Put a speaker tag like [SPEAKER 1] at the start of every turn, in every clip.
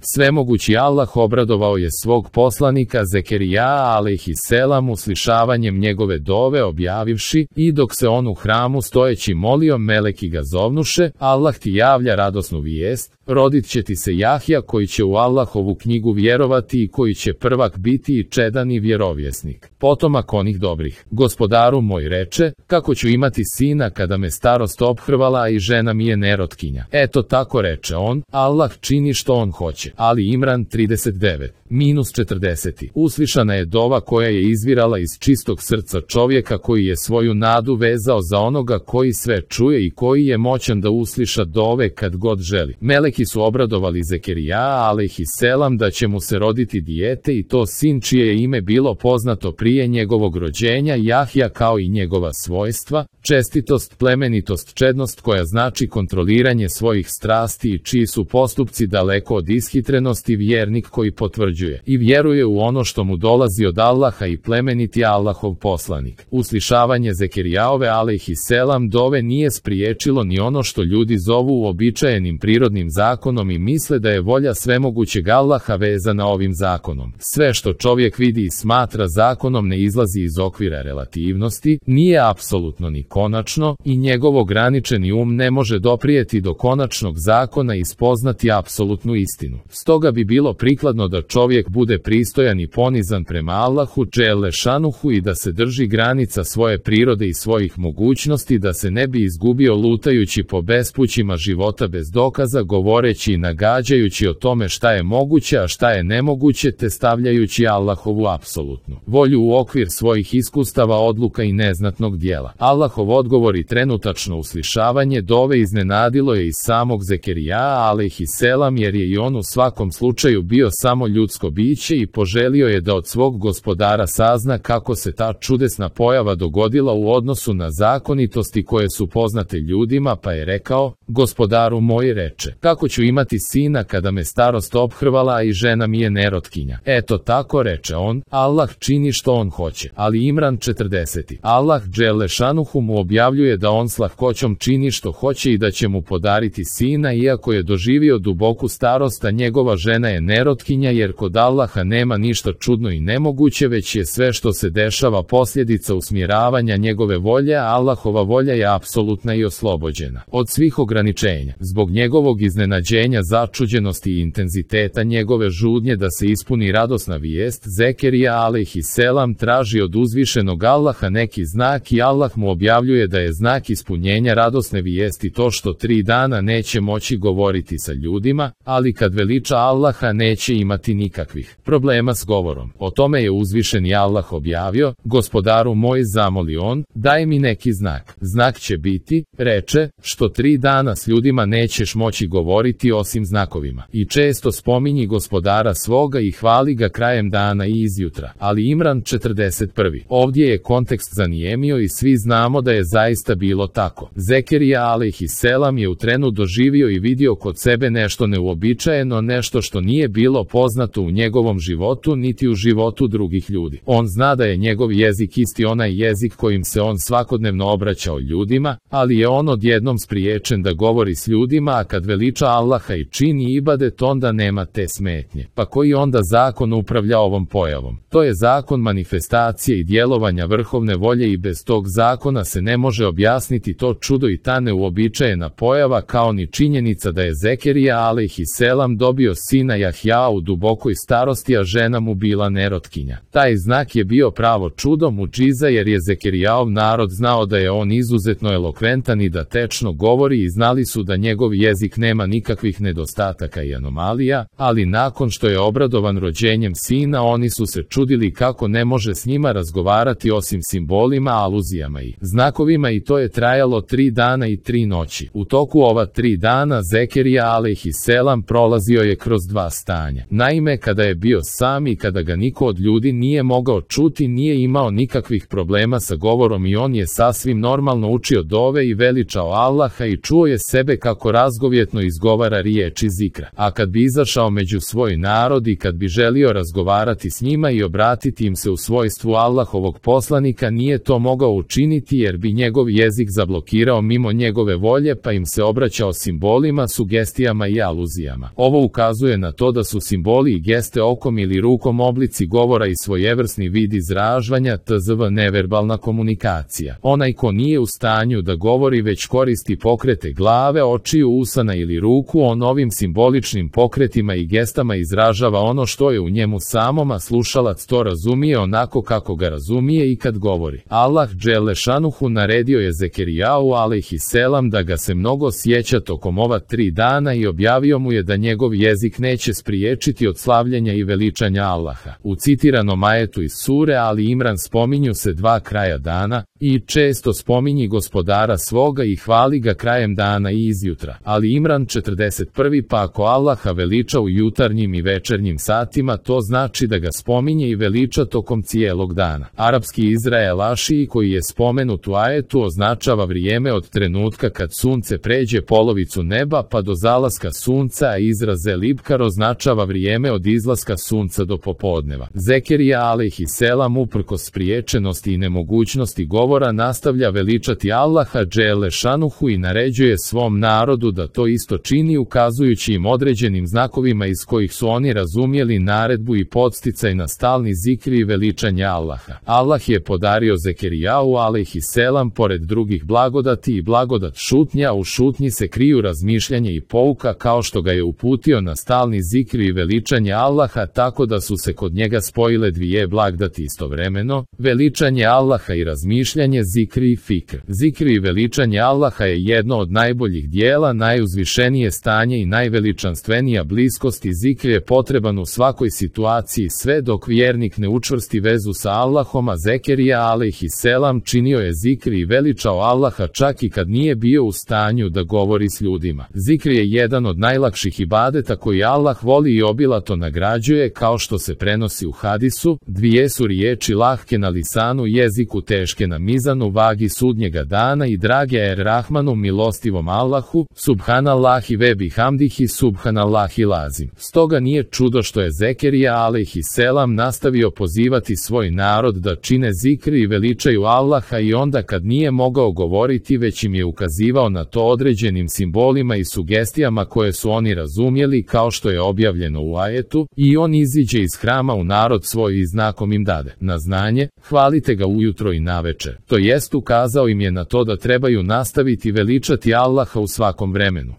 [SPEAKER 1] Svemogući Allah obradovao je svog poslanika Zekerija alejhiselam uslišavanjem njegove dove objavivši: i dok se on u hramu stojeći molio, meleki ga zovnuše: Allah ti javlja radosnu vijest, rodit će ti se Jahja koji će u Allahovu knjigu vjerovati i koji će prvak biti i čedan i vjerovjesnik, potomak onih dobrih. Gospodaru moj, reče, kako ću imati sina kada me starost ophrvala i žena mi je nerotkinja. Eto tako reče on, Allah čini što on hoće. Ali Imran 39-40. Uslišana je dova koja je izvirala iz čistog srca čovjeka koji je svoju nadu vezao za onoga koji sve čuje i koji je moćan da usliša dove kad god želi. Meleki su obradovali Zekerija alejhiselam da će mu se roditi dijete i to sin čije je ime bilo poznato prije njegovog rođenja, Jahja, kao i njegova svojstva, čestitost, plemenitost, čednost koja znači kontroliranje svojih strasti i čiji su postupci daleko od ishitrenosti, vjernik koji potvrđuje i vjeruje u ono što mu dolazi od Allaha i plemeniti Allahov poslanik. Uslišavanje Zekerijaove alejhiselam dove nije spriječilo ni ono što ljudi zovu uobičajenim prirodnim zakonom i misle da je volja svemogućeg Allaha vezana ovim zakonom. Sve što čovjek vidi i smatra zakonom ne izlazi iz okvira relativnosti, nije apsolutno ni konačno i njegov ograničeni ne može doprijeti do konačnog zakona i spoznati apsolutnu istinu. Stoga bi bilo prikladno da čovjek bude pristojan i ponizan prema Allahu dželle šanuhu i da se drži granica svoje prirode i svojih mogućnosti, da se ne bi izgubio lutajući po bespućima života bez dokaza, govoreći i nagađajući o tome šta je moguće, a šta je nemoguće, te stavljajući Allahovu apsolutnu volju u okvir svojih iskustava, odluka i neznatnog dijela. Allahov odgovor i trenutačno uslišavanje dove iznenadilo je i samog Zekerija alejhiselam, jer je i on u svakom slučaju bio samo ljudsko biće i poželio je da od svog gospodara sazna kako se ta čudesna pojava dogodila u odnosu na zakonitosti koje su poznate ljudima, pa je rekao: gospodaru moj, reče, kako ću imati sina kada me starost ophrvala i žena mi je nerotkinja. Eto tako reče on, Allah čini što on hoće. Ali Imran 40. Allah dželle šanuhu mu objavljuje da on s lahkoćom čini što hoće i da će mu podariti sina iako je doživio duboku starost, a njegova žena je nerotkinja, jer kod Allaha nema ništa čudno i nemoguće, već je sve što se dešava posljedica usmjeravanja njegove volje, a Allahova volja je apsolutna i oslobođena od svih ograničenja. Zbog njegovog iznenađenja, začuđenosti i intenziteta njegove žudnje da se ispuni radosna vijest, Zekerija alejhiselam traži od uzvišenog Allaha neki znak i Allah mu objavljuje da je znak ispunjenja radosne vijesti to što 3 dana neće moći govoriti sa ljudima, ali kad veliča Allaha neće imati nikakvih problema s govorom. O tome je uzvišeni Allah objavio: gospodaru moj, zamoli on, daj mi neki znak. Znak će biti, reče, što 3 dana s ljudima nećeš moći govoriti osim znakovima. I često spominji gospodara svoga i hvali ga krajem dana i izjutra. Ali Imran 41. Ovdje je kontekst zanijemio i svi znamo da je zaista bilo tako. Zekerija alejhiselam je u trenu doživio i vidio kod sebe nešto neuobičajeno, nešto što nije bilo poznato u njegovom životu niti u životu drugih ljudi. On zna da je njegov jezik isti onaj jezik kojim se on svakodnevno obraćao ljudima, ali je on odjednom spriječen da govori s ljudima, a kad veliča Allaha i čini ibadet onda nema te smetnje. Pa koji onda zakon upravlja ovom pojavom? To je zakon manifestacije i djelovanja vrhovne volje i bez tog zakona se ne može objasniti to čudo i ta neuobičajena pojava, kao ni činjenica da je Zekerija alejhiselam dobio sina Jahja u dubokoj starosti, a žena mu bila nerotkinja. Taj znak je bio pravo čudo, muđiza, jer je Zekerijaov narod znao da je on izuzetno elokventan i da tečno govori i znali su da njegov jezik nema nikakvih nedostataka i anomalija, ali nakon što je obradovan rođenjem sina oni su se čudili kako ne može s njima razgovarati osim simbolima, aluzijama i znakovima, i to je trajalo 3 dana i 3 noći. U toku ova 3 dana Zekerija alejhiselam prolazio je kroz 2 stanja. Naime, kada je bio sam i kada ga niko od ljudi nije mogao čuti, nije imao nikakvih problema sa govorom i on je sasvim normalno učio dove i veličao Allaha i čuo je sebe kako razgovjetno izgovara izgovara riječi zikra. A kad bi izašao među svoj narod i kad bi želio razgovarati s njima i obratiti im se u svojstvu Allahovog poslanika, nije to mogao učiniti jer bi njegov jezik zablokirao mimo njegove volje, pa im se obraćao simbolima, sugestijama i aluzijama. Ovo ukazuje na to da su simboli i geste okom ili rukom oblici govora i svojevrsni vid izražavanja, tzv. neverbalna komunikacija. Onaj ko nije u stanju da govori već koristi pokrete glave, očiju, usana ili ruku, on ovim simboličnim pokretima i gestama izražava ono što je u njemu samom, a slušalac to razumije onako kako ga razumije i kad govori. Allah dželle šanuhu naredio je Zekerijau alejhiselam da ga se mnogo sjeća tokom ova 3 dana i objavio mu je da njegov jezik neće spriječiti od slavljenja i veličanja Allaha. U citiranom ajetu iz sure Ali Imran spominju se 2 kraja dana i često spominji gospodara svoga i hvali ga krajem dana i izjutra. Ali Imran 41. Pa ako Allaha veliča u jutarnjim i večernjim satima, to znači da ga spominje i veliča tokom cijelog dana. Arapski Izrael Ašiji koji je spomenut u ajetu označava vrijeme od trenutka kad sunce pređe polovicu neba pa do zalaska sunca, a izraz elibkar označava vrijeme od izlaska sunca do popodneva. Zekerija alejhiselam uprkos spriječenosti i nemogućnosti govora nastavlja veličati Allaha dželle šanuhu i naređuje svom narodu da to isto čini, ukazujući im određenim znakovima iz kojih su oni razumjeli naredbu i podsticaj na stalni zikri i veličanje Allaha. Allah je podario Zekerijau alejhiselam pored drugih blagodati i blagodat šutnja, u šutnji se kriju razmišljanje i pouka, kao što ga je uputio na stalni zikri i veličanje Allaha, tako da su se kod njega spojile 2 blagodati istovremeno, veličanje Allaha i razmišljanje, zikri i fikr. Zikri i veličanje Allaha je jedno od najboljih dijela, najuzvišenije stanje i najveličanstvenija bliskost i zikr je potreban u svakoj situaciji sve dok vjernik ne učvrsti vezu sa Allahom, a Zekerija alejhiselam činio je zikri i veličao Allaha čak i kad nije bio u stanju da govori s ljudima. Zikr je jedan od najlakših ibadeta koji Allah voli i obilato nagrađuje, kao što se prenosi u hadisu: 2 su riječi lahke na lisanu jeziku, teške na mizanu vagi sudnjega dana i drage Rahmanu milostivom Allahu, subhanallahi ve bihamdihi subhanallahi lazim. Stoga nije čudo što je Zekerija alejhiselam nastavio pozivati svoj narod da čine zikri i veličaju Allaha i onda kad nije mogao govoriti, već im je ukazivao na to određenim simbolima i sugestijama koje su oni razumjeli, kao što je objavljeno u ajetu: i on iziđe iz hrama u narod svoj i znakom im dade na znanje: hvalite ga ujutro i navečer. To jest ukazao im je na to da trebaju nastaviti veličati Allaha u svakom vremenu.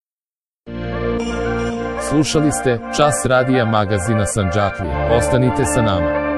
[SPEAKER 1] Slušali ste Čas radija magazina Sandžaklija. Ostanite sa nama.